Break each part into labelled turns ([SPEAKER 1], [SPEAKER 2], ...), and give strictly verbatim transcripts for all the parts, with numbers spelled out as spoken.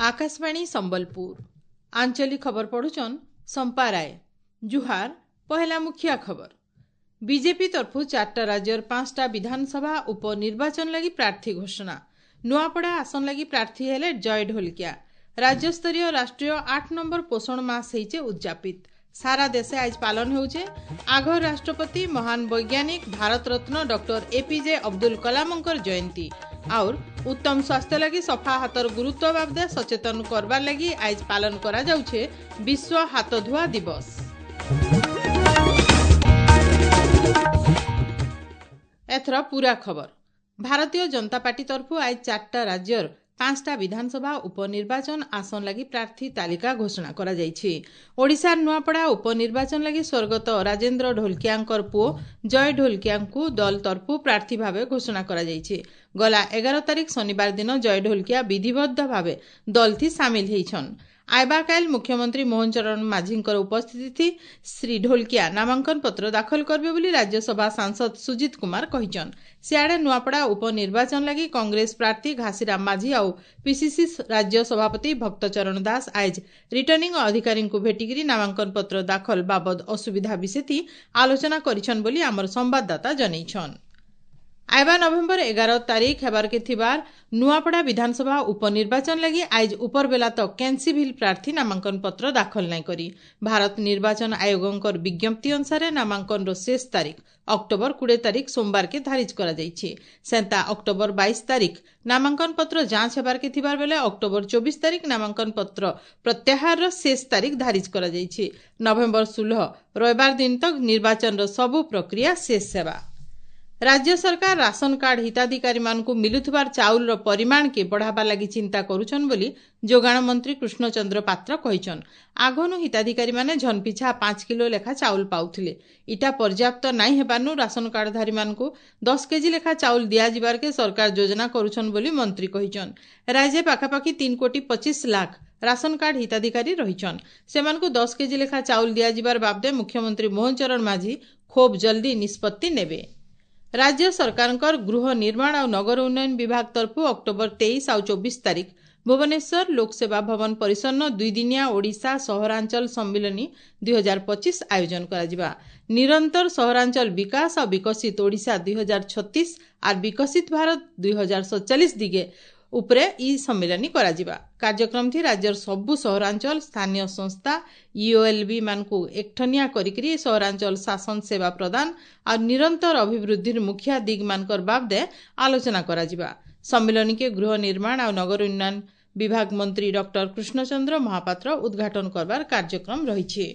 [SPEAKER 1] ଆକାଶବାଣୀ ସମ୍ବଲପୁର ଆଞ୍ଚଳିକ ଖବର ପଢୁଛନ୍ ସମ୍ପା ରାୟ ଜୁହାର ପହେଲା ମୁଖିଆ ଖବର ବିଜେପି ତରଫୁ ଚାରିଟା ରାଜ୍ୟର ପାଞ୍ଚଟା ବିଧାନସଭା ଉପନିର୍ବାଚନ ଲାଗି ପ୍ରାର୍ଥୀ ଘୋଷଣା ନୂଆପଡ଼ା ଆସନ ଲାଗି ପ୍ରାର୍ଥୀ ହେଲେ ଜୟ ଢୋଲକିଆ ରାଜ୍ୟସ୍ତରୀୟ ରାଷ୍ଟ୍ରୀୟ ଆଠ ନମ୍ବର ପୋଷଣ ମାସ ହେଇଛେ ଉଦଯାପିତ ସାରା ଦେଶେ ଆଜ ପାଳନ ହେଉଛେ ଆଘର ରାଷ୍ଟ୍ରପତି ମହାନ ବୈଜ୍ଞାନିକ ଭାରତରତ୍ନ ଡକ୍ଟର ଏପିଜେ ଅବଦୁଲ କଲାମଙ୍କର ଜୟନ୍ତୀ ଆଉର ଉତ୍ତମ ସ୍ୱାସ୍ଥ୍ୟ ଲାଗି ସଫା ହାତର ଗୁରୁତ୍ୱ ବାବଦେ ସଚେତନ କରବାର ଲାଗି ଆଜ ପାଳନ କରାଯାଉଛେ ବିଶ୍ୱ ହାତ ଧୁଆ ଦିବସ ଏଥର ପୁରା ଖବର ଭାରତୀୟ ଜନତା ପାର୍ଟି ତରଫୁ ଆଜ ଚାରିଟା ରାଜ୍ୟର ପାଞ୍ଚଟା ବିଧାନସଭା ଉପନିର୍ବାଚନ ଆସନ ଲାଗି ପ୍ରାର୍ଥୀ ତାଲିକା ଘୋଷଣା କରାଯାଇଛି ଓଡ଼ିଶାର ନୂଆପଡ଼ା ଉପନିର୍ବାଚନ ଲାଗି ସ୍ୱର୍ଗତ ରାଜେନ୍ଦ୍ର ଢୋଲକିଆଙ୍କର ପୁଅ ଜୟ ଢୋଲକିଆଙ୍କୁ ଦଳ ତରଫୁ ପ୍ରାର୍ଥୀ ଭାବେ ଘୋଷଣା କରାଯାଇଛି ଗଲା ଏଗାର ତାରିଖ ଶନିବାର ଦିନ ଜୟ ଢୋଲକିଆ ବିଧିବଦ୍ଧ ଭାବେ ଦଳଥି ସାମିଲ ହେଇଛନ୍ ଆଇବାକାଇଲ ମୁଖ୍ୟମନ୍ତ୍ରୀ ମୋହନ ଚରଣ ମାଝୀଙ୍କର ଉପସ୍ଥିତି ଶ୍ରୀ ଢୋଲକିଆ ନାମାଙ୍କନ ପତ୍ର ଦାଖଲ କରିବେ ବୋଲି ରାଜ୍ୟସଭା ସାଂସଦ ସୁଜିତ କୁମାର କହିଛନ୍ ସିଆଡ଼େ ନୂଆପଡ଼ା ଉପନିର୍ବାଚନ ଲାଗି କଂଗ୍ରେସ ପ୍ରାର୍ଥୀ ଘାସିରାମ ମାଝୀ ଆଉ ପିସିସି ରାଜ୍ୟ ସଭାପତି ଭକ୍ତଚରଣ ଦାସ ଆଇଜ ରିଟର୍ଣ୍ଣିଂ ଅଧିକାରୀଙ୍କୁ ଭେଟିକିରି ନାମାଙ୍କନ ପତ୍ର ଦାଖଲ ବାବଦ ଅସୁବିଧା ବିଷୟଥି ଆଲୋଚନା କରିଛନ୍ ବୋଲି ଆମର ସମ୍ବାଦଦାତା ଜଣାଇଛନ୍ ଆଇବା ନଭେମ୍ବର ଏଗାର ତାରିଖ ହେବାରକେ ଥିବାର ନୂଆପଡ଼ା ବିଧାନସଭା ଉପନିର୍ବାଚନ ଲାଗି ଆଇଜ ଉପରବେଲା ତକ୍ କେନ୍ସିଭିଲ୍ ପ୍ରାର୍ଥୀ ନାମାଙ୍କନ ପତ୍ର ଦାଖଲ ନାଇଁ କରି ଭାରତ ନିର୍ବାଚନ ଆୟୋଗଙ୍କର ବିଜ୍ଞପ୍ତି ଅନୁସାରେ ନାମାଙ୍କନର ଶେଷ ତାରିଖ ଅକ୍ଟୋବର କୋଡ଼ିଏ ତାରିଖ ସୋମବାରକେ ଧାରିଜ କରାଯାଇଛି ସେନ୍ତା ଅକ୍ଟୋବର ବାଇଶ ତାରିଖ ନାମାଙ୍କନ ପତ୍ର ଯାଞ୍ଚ ହେବାରକେ ଥିବାର ବେଲେ ଅକ୍ଟୋବର ଚବିଶ ତାରିଖ ନାମାଙ୍କନ ପତ୍ର ପ୍ରତ୍ୟାହାରର ଶେଷ ତାରିଖ ଧାରିଜ କରାଯାଇଛି ନଭେମ୍ବର ଷୋହଳ ରବିବାର ଦିନ ତକ୍ ନିର୍ବାଚନର ସବୁ ପ୍ରକ୍ରିୟା ଶେଷ ହେବା ରାଜ୍ୟ ସରକାର ରାସନ କାର୍ଡ ହିତାଧିକାରୀମାନଙ୍କୁ ମିଲୁଥିବାର ଚାଉଳର ପରିମାଣକେ ବଢ଼ାବା ଲାଗି ଚିନ୍ତା କରୁଛନ୍ ବୋଲି ଯୋଗାଣ ମନ୍ତ୍ରୀ କୃଷ୍ଣଚନ୍ଦ୍ର ପାତ୍ର କହିଛନ୍ ଆଗନୁ ହିତାଧିକାରୀମାନେ ଝନପିଛା ପାଞ୍ଚ କିଲୋ ଲେଖା ଚାଉଳ ପାଉଥିଲେ ଇଟା ପର୍ଯ୍ୟାପ୍ତ ନାଇଁ ହେବାନୁ ରାସନ କାର୍ଡଧାରୀମାନଙ୍କୁ ଦଶ କେଜି ଲେଖା ଚାଉଳ ଦିଆଯିବାରକେ ସରକାର ଯୋଜନା କରୁଛନ୍ ବୋଲି ମନ୍ତ୍ରୀ କହିଛନ୍ ରାଜ୍ୟ ପାଖାପାଖି ତିନି କୋଟି ପଚିଶ ଲାଖ ରାସନ କାର୍ଡ ହିତାଧିକାରୀ ରହିଛନ୍ ସେମାନଙ୍କୁ ଦଶ କେଜି ଲେଖା ଚାଉଳ ଦିଆଯିବାର ବାବଦେ ମୁଖ୍ୟମନ୍ତ୍ରୀ ମୋହନ ଚରଣ ମାଝୀ ଖୁବ୍ ଜଲ୍ଦି ନିଷ୍ପତ୍ତି ନେବେ ରାଜ୍ୟ ସରକାରଙ୍କର ଗୃହ ନିର୍ମାଣ ଆଉ ନଗର ଉନ୍ନୟନ ବିଭାଗ ତରଫୁ ଅକ୍ଟୋବର ତେଇଶ ଆଉ ଚବିଶ ତାରିଖ ଭୁବନେଶ୍ୱର ଲୋକସେବା ଭବନ ପରିସରନ ଦୁଇଦିନିଆ ଓଡ଼ିଶା ସହରାଞ୍ଚଳ ସମ୍ମିଳନୀ ଦୁଇ ହଜାର ପଚିଶ ଆୟୋଜନ କରାଯିବା ନିରନ୍ତର ସହରାଞ୍ଚଳ ବିକାଶ ଆଉ ବିକଶିତ ଓଡ଼ିଶା ଦୁଇ ହଜାର ଛତିଶ ଆର୍ ବିକଶିତ ଭାରତ ଦୁଇ ହଜାର ସତଚାଳିଶ ଦିଗେ ଉପରେ ଇ ସମ୍ମିଳନୀ କରାଯିବା କାର୍ଯ୍ୟକ୍ରମଥି ରାଜ୍ୟର ସବୁ ସହରାଞ୍ଚଳ ସ୍ଥାନୀୟ ସଂସ୍ଥା ଇଓଏଲବି ମାନଙ୍କୁ ଏକଠନିଆ କରିକିରି ସହରାଞ୍ଚଳ ଶାସନ ସେବା ପ୍ରଦାନ ଆଉ ନିରନ୍ତର ଅଭିବୃଦ୍ଧିର ମୁଖିଆ ଦିଗମାନଙ୍କର ବାବଦେ ଆଲୋଚନା କରାଯିବା ସମ୍ମିଳନୀକେ ଗୃହ ନିର୍ମାଣ ଆଉ ନଗର ଉନ୍ନୟନ ବିଭାଗ ମନ୍ତ୍ରୀ ଡକ୍ଟର କୃଷ୍ଣଚନ୍ଦ୍ର ମହାପାତ୍ର ଉଦ୍ଘାଟନ କରବାର କାର୍ଯ୍ୟକ୍ରମ ରହିଛି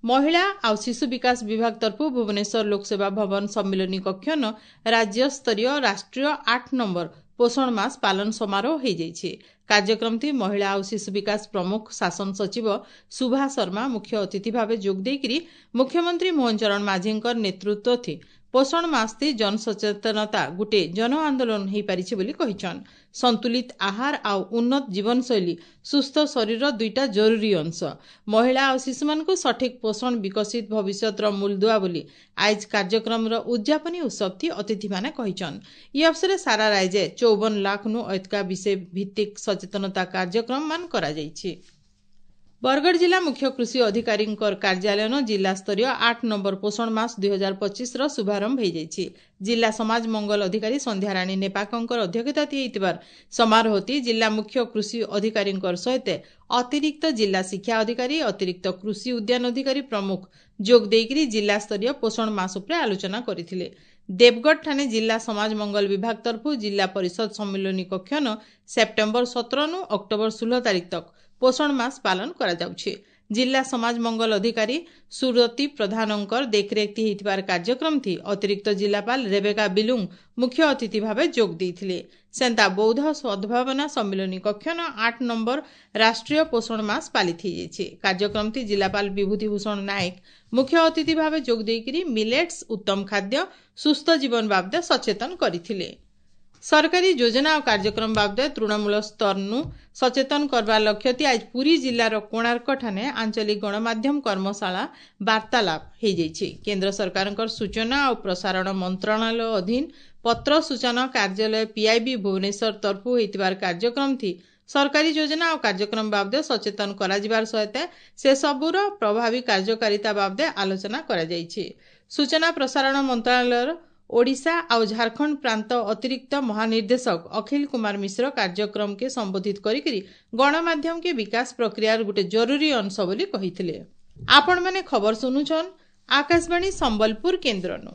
[SPEAKER 1] ମହିଳା ଆଉ ଶିଶୁ ବିକାଶ ବିଭାଗ ତରଫୁ ଭୁବନେଶ୍ୱର ଲୋକସେବା ଭବନ ସମ୍ମିଳନୀ କକ୍ଷନ ରାଜ୍ୟସ୍ତରୀୟ ରାଷ୍ଟ୍ରୀୟ ଆଠ ନମ୍ବର ପୋଷଣ ମାସ ପାଳନ ସମାରୋହ ହୋଇଯାଇଛି କାର୍ଯ୍ୟକ୍ରମଟି ମହିଳା ଆଉ ଶିଶୁ ବିକାଶ ପ୍ରମୁଖ ଶାସନ ସଚିବ ସୁଭା ଶର୍ମା ମୁଖ୍ୟ ଅତିଥି ଭାବେ ଯୋଗ ଦେଇକରି ମୁଖ୍ୟମନ୍ତ୍ରୀ ମୋହନ ଚରଣ ମାଝୀଙ୍କର ନେତୃତ୍ୱ ଥି ପୋଷଣ ମାସଥି ଜନସଚେତନତା ଗୋଟିଏ ଜନ ଆନ୍ଦୋଳନ ହୋଇପାରିଛି ବୋଲି କହିଛନ୍ ସନ୍ତୁଳିତ ଆହାର ଆଉ ଉନ୍ନତ ଜୀବନଶୈଳୀ ସୁସ୍ଥ ଶରୀର ଦୁଇଟା ଜରୁରୀ ଅଂଶ ମହିଳା ଆଉ ଶିଶୁମାନଙ୍କୁ ସଠିକ୍ ପୋଷଣ ବିକଶିତ ଭବିଷ୍ୟତର ମୂଳଦୁଆ ବୋଲି ଆଇଜ କାର୍ଯ୍ୟକ୍ରମର ଉଦ୍ଯାପନୀ ଉତ୍ସବଥି ଅତିଥିମାନେ କହିଛନ୍ ଇ ଅବସରେ ସାରା ରାଜ୍ୟ ଚଉବନ ଲାଖନୁ ଐତିକା ବିଷୟ ଭିତ୍ତିକ ସଚେତନତା କାର୍ଯ୍ୟକ୍ରମମାନ କରାଯାଇଛି ବରଗଡ଼ ଜିଲ୍ଲା ମୁଖ୍ୟ କୃଷି ଅଧିକାରୀଙ୍କର କାର୍ଯ୍ୟାଳୟନ ଜିଲ୍ଲାସ୍ତରୀୟ ଆଠ ନମ୍ବର ପୋଷଣ ମାସ ଦୁଇ ହଜାର ପଚିଶର ଶୁଭାରମ୍ଭ ହୋଇଯାଇଛି ଜିଲ୍ଲା ସମାଜ ମଙ୍ଗଳ ଅଧିକାରୀ ସନ୍ଧ୍ୟାରାଣୀ ନେପାକଙ୍କର ଅଧ୍ୟକ୍ଷତା ହେଇଥିବାର ସମାରୋହଟି ଜିଲ୍ଲା ମୁଖ୍ୟ କୃଷି ଅଧିକାରୀଙ୍କର ସହିତ ଅତିରିକ୍ତ ଜିଲ୍ଲା ଶିକ୍ଷା ଅଧିକାରୀ ଅତିରିକ୍ତ କୃଷି ଉଦ୍ୟାନ ଅଧିକାରୀ ପ୍ରମୁଖ ଯୋଗ ଦେଇକରି ଜିଲ୍ଲାସ୍ତରୀୟ ପୋଷଣ ମାସ ଉପରେ ଆଲୋଚନା କରିଥିଲେ ଦେବଗଡ଼ ଠାନେ ଜିଲ୍ଲା ସମାଜ ମଙ୍ଗଳ ବିଭାଗ ତରଫୁ ଜିଲ୍ଲା ପରିଷଦ ସମ୍ମିଳନୀ କକ୍ଷନ ସେପ୍ଟେମ୍ବର ସତରନୁ ଅକ୍ଟୋବର ଷୋହଳ ତାରିଖ ତକ ପୋଷଣ ମାସ ପାଳନ କରାଯାଉଛି ଜିଲ୍ଲା ସମାଜ ମଙ୍ଗଳ ଅଧିକାରୀ ସୁରତି ପ୍ରଧାନଙ୍କର ଦେଖରେଖ ହେଇଥିବାର କାର୍ଯ୍ୟକ୍ରମଥି ଅତିରିକ୍ତ ଜିଲ୍ଲାପାଳ ରେବେକା ବିଲୁଙ୍ଗ ମୁଖ୍ୟ ଅତିଥି ଭାବେ ଯୋଗ ଦେଇଥିଲେ ସେନ୍ତା ବୌଦ୍ଧ ସଦ୍ଭାବନା ସମ୍ମିଳନୀ କକ୍ଷନ ଆଠ ନମ୍ବର ରାଷ୍ଟ୍ରୀୟ ପୋଷଣ ମାସ ପାଳିତ ହେଇଯାଇଛି କାର୍ଯ୍ୟକ୍ରମଥି ଜିଲ୍ଲାପାଳ ବିଭୂତି ଭୂଷଣ ନାୟକ ମୁଖ୍ୟ ଅତିଥି ଭାବେ ଯୋଗ ଦେଇକରି ମିଲେଟ୍ସ ଉତ୍ତମ ଖାଦ୍ୟ ସୁସ୍ଥ ଜୀବନ ବାବଦେ ସଚେତନ କରିଥିଲେ ସରକାରୀ ଯୋଜନା ଓ କାର୍ଯ୍ୟକ୍ରମ ବାବଦେ ତୃଣମୂଳ ସ୍ତରନୁ ସଚେତନ କରବାର ଲକ୍ଷ୍ୟତି ଆଜ ପୁରୀ ଜିଲ୍ଲାର କୋଣାର୍କ ଠାନେ ଆଞ୍ଚଳିକ ଗଣମାଧ୍ୟମ କର୍ମଶାଳା ବାର୍ତ୍ତାଳାପ ହେଇଯାଇଛି କେନ୍ଦ୍ର ସରକାରଙ୍କର ସୂଚନା ଓ ପ୍ରସାରଣ ମନ୍ତ୍ରଣାଳୟ ଅଧୀନ ପତ୍ର ସୂଚନା କାର୍ଯ୍ୟାଳୟ ପିଆଇବି ଭୁବନେଶ୍ୱର ତରଫୁ ହେଇଥିବାର କାର୍ଯ୍ୟକ୍ରମଥି ସରକାରୀ ଯୋଜନା ଓ କାର୍ଯ୍ୟକ୍ରମ ବାବଦେ ସଚେତନ କରାଯିବାର ସହିତ ସେସବୁର ପ୍ରଭାବୀ କାର୍ଯ୍ୟକାରିତା ବାବଦେ ଆଲୋଚନା କରାଯାଇଛି। ସୂଚନା ପ୍ରସାରଣ ମନ୍ତ୍ରଣାଳୟର ଓଡ଼ିଶା ଆଉ ଝାଡ଼ଖଣ୍ଡ ପ୍ରାନ୍ତ ଅତିରିକ୍ତ ମହାନିର୍ଦ୍ଦେଶକ ଅଖିଲ କୁମାର ମିଶ୍ର କାର୍ଯ୍ୟକ୍ରମକେ ସମ୍ବୋଧିତ କରିକିରି ଗଣମାଧ୍ୟମକେ ବିକାଶ ପ୍ରକ୍ରିୟାର ଗୋଟେ ଜରୁରୀ ଅଂଶ ବୋଲି କହିଥିଲେ। ଆପଣମାନେ ଖବର ଶୁଣୁଛନ୍ ଆକାଶବାଣୀ ସମ୍ବଲପୁର କେନ୍ଦ୍ରନୁ।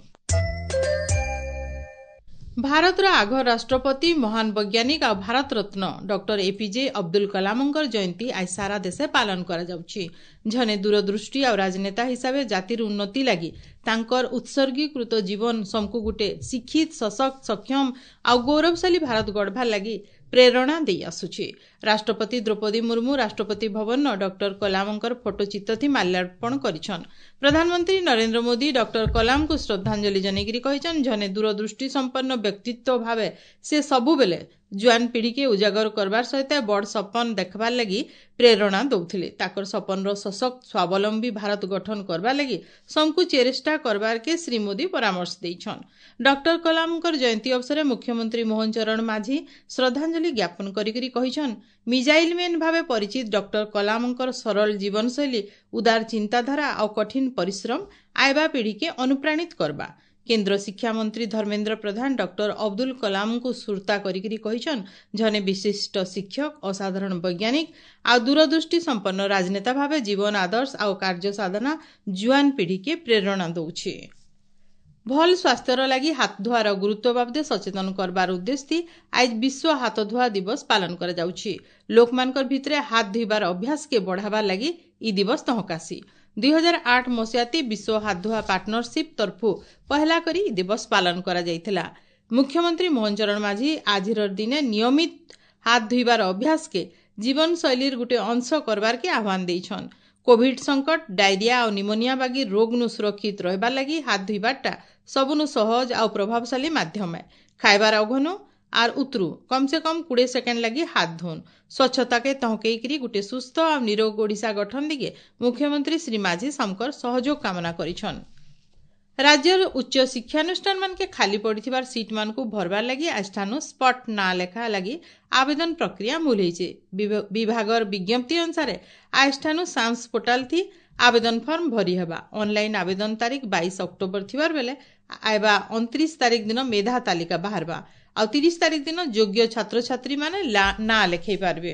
[SPEAKER 1] ଭାରତର ଆଘ ରାଷ୍ଟ୍ରପତି, ମହାନ ବୈଜ୍ଞାନିକ ଆଉ ଭାରତ ରତ୍ନ ଡକ୍ଟର ଏପିଜେ ଅବଦୁଲ କଲାମଙ୍କର ଜୟନ୍ତୀ ଆଜି ସାରା ଦେଶେ ପାଳନ କରାଯାଉଛି। ଜଣେ ଦୂରଦୃଷ୍ଟି ଆଉ ରାଜନେତା ହିସାବେ ଜାତିର ଉନ୍ନତି ଲାଗି ତାଙ୍କର ଉତ୍ସର୍ଗୀକୃତ ଜୀବନ ସମକୁ ଗୋଟେ ଶିକ୍ଷିତ, ସଶକ୍ତ, ସକ୍ଷମ ଆଉ ଗୌରବଶାଳୀ ଭାରତ ଗଢ଼ବାର୍ ଲାଗି ପ୍ରେରଣା ଦେଇ ଆସୁଛି। ରାଷ୍ଟ୍ରପତି ଦ୍ରୌପଦୀ ମୁର୍ମୁ ରାଷ୍ଟ୍ରପତି ଭବନ ଡକ୍ଟର କଲାମଙ୍କର ଫଟୋଚିତ୍ରଥି ମାଲ୍ୟାର୍ପଣ କରିଛନ୍। ପ୍ରଧାନମନ୍ତ୍ରୀ ନରେନ୍ଦ୍ର ମୋଦି ଡକ୍ଟର କଲାମଙ୍କୁ ଶ୍ରଦ୍ଧାଞ୍ଜଳି ଜଣେଇକିରି କହିଛନ୍, ଜଣେ ଦୂରଦୃଷ୍ଟି ସମ୍ପନ୍ନ ବ୍ୟକ୍ତିତ୍ୱ ଭାବେ ସେ ସବୁବେଲେ ଜୁଆନ ପିଢ଼ିକେ ଉଜାଗର କରବାର ସହିତ ବଡ଼ ସପନ ଦେଖବାର୍ ଲାଗି ପ୍ରେରଣା ଦଉଥିଲେ। ତାଙ୍କର ସପନର ସଶକ୍ତ ସ୍ୱାବଲମ୍ବୀ ଭାରତ ଗଠନ କରବାର ଲାଗି ସମକୁ ଚେଷ୍ଟା କରବାରକେ ଶ୍ରୀ ମୋଦି ପରାମର୍ଶ ଦେଇଛନ୍। ଡକ୍ଟର କଲାମଙ୍କର ଜୟନ୍ତୀ ଅବସରରେ ମୁଖ୍ୟମନ୍ତ୍ରୀ ମୋହନ ଚରଣ ମାଝୀ ଶ୍ରଦ୍ଧାଞ୍ଜଳି ଜ୍ଞାପନ କରିକିରି କହିଛନ୍, ମିଜାଇଲ ମେନ୍ ଭାବେ ପରିଚିତ ଡକ୍ଟର କଲାମଙ୍କର ସରଳ ଜୀବନଶୈଳୀ, ଉଦାର ଚିନ୍ତାଧାରା ଆଉ କଠିନ ପରିଶ୍ରମ ଆଇବା ପିଢ଼ିକେ ଅନୁପ୍ରାଣିତ କରବା। କେନ୍ଦ୍ର ଶିକ୍ଷାମନ୍ତ୍ରୀ ଧର୍ମେନ୍ଦ୍ର ପ୍ରଧାନ ଡକ୍ଟର ଅବଦୁଲ କଲାମଙ୍କୁ ସୁରତା କରିକିରି କହିଛନ୍, ଜଣେ ବିଶିଷ୍ଟ ଶିକ୍ଷକ, ଅସାଧାରଣ ବୈଜ୍ଞାନିକ ଆଉ ଦୂରଦୃଷ୍ଟି ସମ୍ପନ୍ନ ରାଜନେତା ଭାବେ ଜୀବନ ଆଦର୍ଶ ଆଉ କାର୍ଯ୍ୟ ସାଧନା ଜୁଆନ ପିଢ଼ିକେ ପ୍ରେରଣା ଦଉଛି। ଭଲ ସ୍ୱାସ୍ଥ୍ୟର ଲାଗି ହାତ ଧୁଆର ଗୁରୁତ୍ୱ ବାବଦେ ସଚେତନ କରବାର ଉଦ୍ଦେଶ୍ୟ ଆଜ ବିଶ୍ୱ ହାତ ଧୁଆ ଦିବସ ପାଳନ କରାଯାଉଛି। ଲୋକମାନଙ୍କର ଭିତରେ ହାତ ଧୋଇବାର ଅଭ୍ୟାସକେ ବଢ଼ାବାର ଲାଗି ଇ ଦିବସ ତହକାସି। ଦୁଇ ହଜାର ଆଠ ମସିହାତି ବିଶ୍ୱ ହାତ ଧୁଆ ପାର୍ଟନରସିପ୍ ତରଫୁ ପହେଲା କରି ଇ ଦିବସ ପାଳନ କରାଯାଇଥିଲା। ମୁଖ୍ୟମନ୍ତ୍ରୀ ମୋହନ ଚରଣ ମାଝୀ ଆଜିର ଦିନେ ନିୟମିତ ହାତ ଧୋଇବାର ଅଭ୍ୟାସକେ ଜୀବନଶୈଳୀର ଗୋଟେ ଅଂଶ କରବାରକେ ଆହ୍ୱାନ ଦେଇଛନ୍। କୋଭିଡ ସଙ୍କଟ, ଡାଇରିଆ ଆଉ ନିମୋନିଆ ବାଗି ରୋଗନୁ ସୁରକ୍ଷିତ ରହିବାର ଲାଗି ହାତ ଧୋଇବାରଟା ସବୁନୁ ସହଜ ଆଉ ପ୍ରଭାବଶାଳୀ ମାଧ୍ୟମ। ଖାଇବାର ଅଘନୁ ଆର୍ ଉତରୁ କମ୍ ସେ କମ୍ କୋଡ଼ିଏ ସେକେଣ୍ଡ ଲାଗି ହାତ ଧୁନ୍। ସ୍ୱଚ୍ଛତାକେ ତହକେଇକିରି ଗୋଟେ ସୁସ୍ଥ ଆଉ ନିରୋଗ ଓଡ଼ିଶା ଗଠନ ଦିଗେ ମୁଖ୍ୟମନ୍ତ୍ରୀ ଶ୍ରୀ ମାଝୀ ସମକର ସହଯୋଗ କାମନା କରିଛନ୍। ରାଜ୍ୟର ଉଚ୍ଚ ଶିକ୍ଷାନୁଷ୍ଠାନମାନକେ ଖାଲି ପଡ଼ିଥିବାର ସିଟ୍ମାନଙ୍କୁ ଭରବାର ଲାଗି ଆଜିଠାନୁ ସ୍ପଟ୍ ନାଁ ଲେଖା ଲାଗି ଆବେଦନ ପ୍ରକ୍ରିୟା ମୂଲ ହେଇଛେ। ବିଭାଗର ବିଜ୍ଞପ୍ତି ଅନୁସାରେ ଆଜିଠାନୁ ସାମ୍ସ ପୋର୍ଟାଲ ଥି ଆବେଦନ ଫର୍ମ ଭରି ହେବା। ଅନଲାଇନ୍ ଆବେଦନ ତାରିଖ ବାଇଶ ଅକ୍ଟୋବର ଥିବାର ବେଲେ ଆଇବା ଅଣତିରିଶ ତାରିଖ ଦିନ ମେଧା ତାଲିକା ବାହାରବା ଆଉ ତିରିଶ ତାରିଖ ଦିନ ଯୋଗ୍ୟ ଛାତ୍ରଛାତ୍ରୀମାନେ ନାଁ ଲେଖେଇ ପାରିବେ।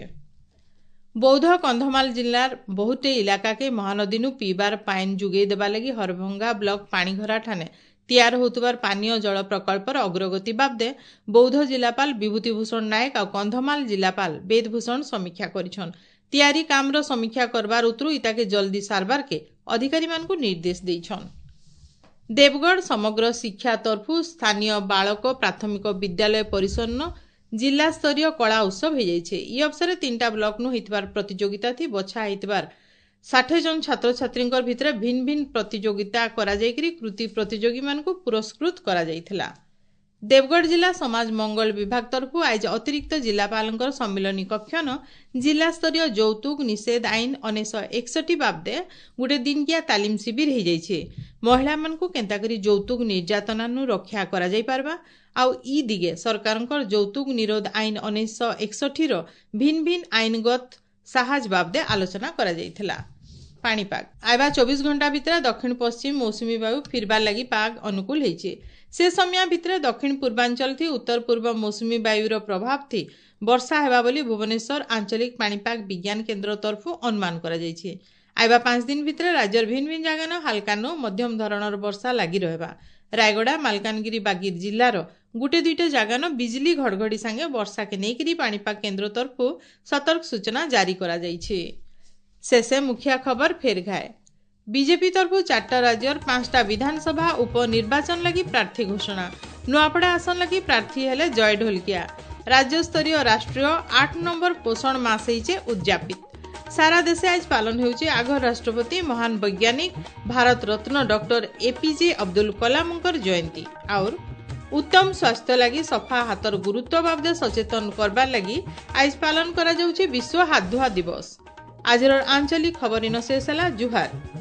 [SPEAKER 1] ବୌଦ୍ଧ କନ୍ଧମାଳ ଜିଲ୍ଲାର ବହୁଟେ ଇଲାକାକେ ମହାନଦୀନୁ ପିଇବାର ପାଏନ୍ ଯୋଗେଇ ଦେବା ଲାଗି ହରଭଙ୍ଗା ବ୍ଲକ ପାଣିଘରା ଠାନେ ତିଆର ହେଉଥିବାର ପାନୀୟ ଜଳ ପ୍ରକଳ୍ପର ଅଗ୍ରଗତି ବାବଦେ ବୌଦ୍ଧ ଜିଲ୍ଲାପାଳ ବିଭୂତିଭୂଷଣ ନାୟକ ଆଉ କନ୍ଧମାଳ ଜିଲ୍ଲାପାଳ ବେଦଭୂଷଣ ସମୀକ୍ଷା କରିଛନ୍। ତିଆରି କାମର ସମୀକ୍ଷା କରବାର ଉତରୁ ଇତାକେ ଜଲ୍ଦି ସାରବାରକେ ଅଧିକାରୀମାନଙ୍କୁ ନିର୍ଦ୍ଦେଶ ଦେଇଛନ୍। ଦେବଗଡ଼ ସମଗ୍ର ଶିକ୍ଷା ତରଫୁ ସ୍ଥାନୀୟ ବାଳକ ପ୍ରାଥମିକ ବିଦ୍ୟାଳୟ ପରିସରନ ଜିଲ୍ଲାସ୍ତରୀୟ କଳା ଉତ୍ସବ ହେଇଯାଇଛି। ଇ ଅବସରରେ ତିନିଟା ବ୍ଲକନୁ ହେଇଥିବାର ପ୍ରତିଯୋଗିତା ଥି ବଛା ହେଇଥିବାର ଷାଠିଏ ଜଣ ଛାତ୍ରଛାତ୍ରୀଙ୍କର ଭିତରେ ଭିନ୍ନ ଭିନ୍ନ ପ୍ରତିଯୋଗିତା କରାଯାଇକିରି କୃତି ପ୍ରତିଯୋଗୀମାନଙ୍କୁ ପୁରସ୍କୃତ କରାଯାଇଥିଲା। ଦେବଗଡ଼ ଜିଲ୍ଲା ସମାଜ ମଙ୍ଗଳ ବିଭାଗ ତରଫୁ ଆଜି ଅତିରିକ୍ତ ଜିଲ୍ଲାପାଳଙ୍କର ସମ୍ମିଳନୀ କକ୍ଷନ ଜିଲ୍ଲାସ୍ତରୀୟ ଯୌତୁକ ନିଷେଧ ଆଇନ ଉଣେଇଶହ ଏକଷଠି ବାବଦେ ଗୋଟେ ଦିନକିଆ ତାଲିମ ଶିବିର ହେଇଯାଇଛି। ମହିଳାମାନଙ୍କୁ କେନ୍ତାକରି ଯୌତୁକ ନିର୍ଯାତନାନୁ ରକ୍ଷା କରାଯାଇ ପାରବା ଆଉ ଇ ଦିଗେ ସରକାରଙ୍କର ଯୌତୁକ ନିରୋଧ ଆଇନ ଉଣେଇଶହ ଏକଷଠିର ଭିନ୍ନ ଭିନ୍ନ ଆଇନଗତ ସାହାଯ୍ୟ ବାବଦେ ଆଲୋଚନା କରାଯାଇଥିଲା। ପାଣିପାଗ ଆଇବା ଚବିଶ ଘଣ୍ଟା ଭିତରେ ଦକ୍ଷିଣ ପଶ୍ଚିମ ମୌସୁମୀ ବାୟୁ ଫିରବାର ଲାଗି ପାଗ ଅନୁକୂଳ ହେଇଛି। ସେ ସମୟ ଭିତରେ ଦକ୍ଷିଣ ପୂର୍ବାଞ୍ଚଳ ଥି ଉତ୍ତର ପୂର୍ବ ମୌସୁମୀ ବାୟୁର ପ୍ରଭାବ ଥି ବର୍ଷା ହେବା ବୋଲି ଭୁବନେଶ୍ୱର ଆଞ୍ଚଳିକ ପାଣିପାଗ ବିଜ୍ଞାନ କେନ୍ଦ୍ର ତରଫୁ ଅନୁମାନ କରାଯାଇଛି। ଆଇବା ପାଞ୍ଚ ଦିନ ଭିତରେ ରାଜ୍ୟର ଭିନ୍ନ ଭିନ୍ନ ଜାଗାନ ହାଲକାନୁ ମଧ୍ୟମ ଧରଣର ବର୍ଷା ଲାଗି ରହିବା। ରାୟଗଡ଼ା, ମାଲକାନଗିରି, ବାଗିର ଜିଲ୍ଲାର ଗୋଟେ ଦୁଇଟା ଜାଗାନ ବିଜଲି ଘଡ଼ଘଡ଼ି ସାଙ୍ଗେ ବର୍ଷାକେ ନେଇକରି ପାଣିପାଗ କେନ୍ଦ୍ର ତରଫୁ ସତର୍କ ସୂଚନା ଜାରି କରାଯାଇଛି। ଶେଷେ ମୁଖିଆ ଖବର ଫେର ଘାଏ। ବିଜେପି ତରଫୁ ଚାରିଟା ରାଜ୍ୟର ପାଞ୍ଚଟା ବିଧାନସଭା ଉପନିର୍ବାଚନ ଲାଗି ପ୍ରାର୍ଥୀ ଘୋଷଣା। ନୂଆପଡ଼ା ଆସନ ଲାଗି ପ୍ରାର୍ଥୀ ହେଲେ ଜୟ ଢୋଲକିଆ। ରାଜ୍ୟସ୍ତରୀୟ ରାଷ୍ଟ୍ରୀୟ ଆଠ ନମ୍ବର ପୋଷଣ ମାସ ହେଇଛେ ଉଦଯାପିତ। ସାରା ଦେଶେ ଆଜ ପାଳନ ହେଉଛି ଆଗ ରାଷ୍ଟ୍ରପତି ମହାନ ବୈଜ୍ଞାନିକ ଭାରତ ରତ୍ନ ଡକ୍ଟର ଏପିଜେ ଅବଦୁଲ କଲାମଙ୍କର ଜୟନ୍ତୀ। ଆଉର ଉତ୍ତମ ସ୍ୱାସ୍ଥ୍ୟ ଲାଗି ସଫା ହାତର ଗୁରୁତ୍ୱ ବାବଦେ ସଚେତନ କରବାର ଲାଗି ଆଜ ପାଳନ କରାଯାଉଛି ବିଶ୍ୱ ହାତ ଧୁଆ ଦିବସ। ଆଜିର ଆଞ୍ଚଳିକ ଖବର ଇନ ଶେଷ ହେଲା। ଜୁହାର।